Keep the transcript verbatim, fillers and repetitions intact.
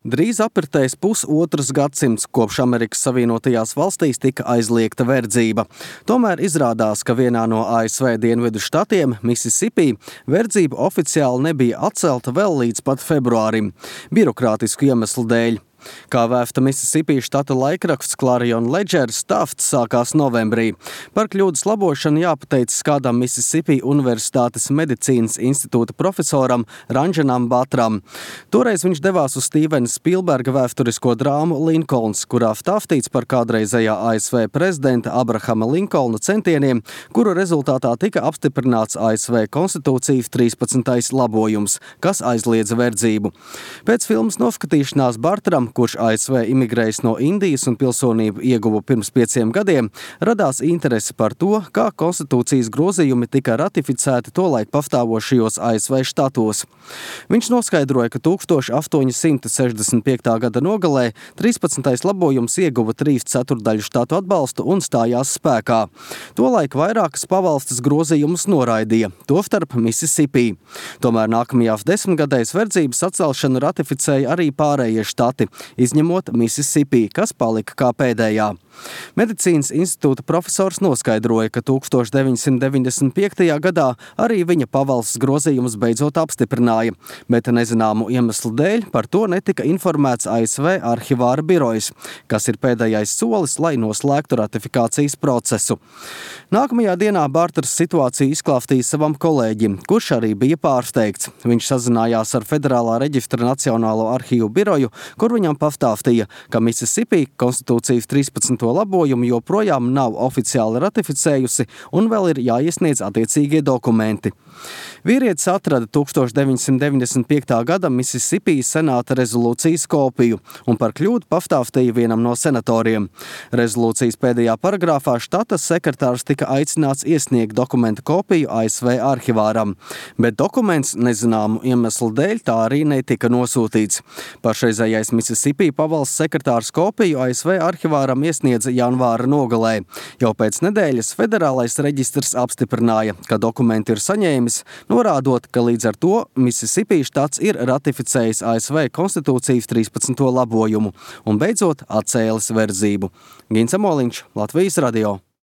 Drīz apritēs pusotrs gadsimts, kopš Amerikas Savienotajās valstīs tika aizliegta verdzība. Tomēr izrādās, ka vienā no A S V dienvidu štatiem, Mississippi, verdzība oficiāli nebija atcelta vēl līdz pat februārim, birokrātisku iemeslu dēļ. Kā vēsta Mississippi štata laikraksts Clarion Ledger, stāsts sākās novembrī. Par kļūdas labošanu jāpateicas kādam Mississippi Universitātes medicīnas institūta profesoram Ranjanam Batram. Toreiz viņš devās uz Stīvena Spilberga vēsturisko drāmu Linkolns, kurā stāstīts par kādreizējā A S V prezidenta Abrahama Linkolna centieniem, kuru rezultātā tika apstiprināts A S V konstitūcijas trīspadsmitais labojums, kas aizliedza verdzību. Pēc filmas noskatīšanās Bartram, kurš A S V imigrējis no Indijas un pilsonību ieguva pirms pieciem gadiem, radās interese par to, kā konstitūcijas grozījumi tika ratificēti tolaik pastāvošajos A S V štatos. Viņš noskaidroja, ka tūkstoš astoņi simti sešdesmit piektā gada nogalē trīspadsmitais labojums ieguva trīs ceturtdaļu štatu atbalstu un stājās spēkā. Tolaik vairākas pavalstis grozījumus noraidīja, tostarp Mississippi. Tomēr nākamajās desmitgadēs verdzības atcelšanu ratificēja arī pārējie štati, izņemot Mississippi, kas palika kā pēdējā. Medicīnas institūta profesors noskaidroja, ka tūkstoš deviņsimt deviņdesmit piektajā gadā arī viņa pavalsts grozījumus beidzot apstiprināja, bet nezināmu iemeslu dēļ par to netika informēts A S V arhivāra birojas, kas ir pēdējais solis, lai noslēgtu ratifikācijas procesu. Nākamajā dienā Barters situāciju izklāstīja savam kolēģim, kurš arī bija pārsteigts. Viņš sazinājās ar Federālā reģistra Nacionālo arhīvu biroju, kur viņam pastāstīja, ka Mississippi konstitūcijas trīspadsmito labojumu joprojām nav oficiāli ratificējusi un vēl ir jāiesniedz attiecīgie dokumenti. Vīrietis atrada tūkstoš deviņsimt deviņdesmit piektā gada Mississippi senāta rezolūcijas kopiju un par kļūdu pastāstīja vienam no senatoriem. Rezolūcijas pēdējā paragrāfā štata sekretārs tika aicināts iesniegt dokumentu kopiju A S V arhivāram, bet dokuments nezināmu iemeslu dēļ tā arī netika nosūtīts. Pašreizējais Mississippi pavalsts sekretārs kopiju A S V arhivāram iesniedza janvāra nogalē. Jau pēc nedēļas federālais reģistrs apstiprināja, ka dokumenti ir saņēmis, norādot, ka līdz ar to Mississippi štats ir ratificējis A S V konstitūcijas trīspadsmito labojumu un beidzot atcēlis verdzību. Gins Amoliņš, Latvijas radio.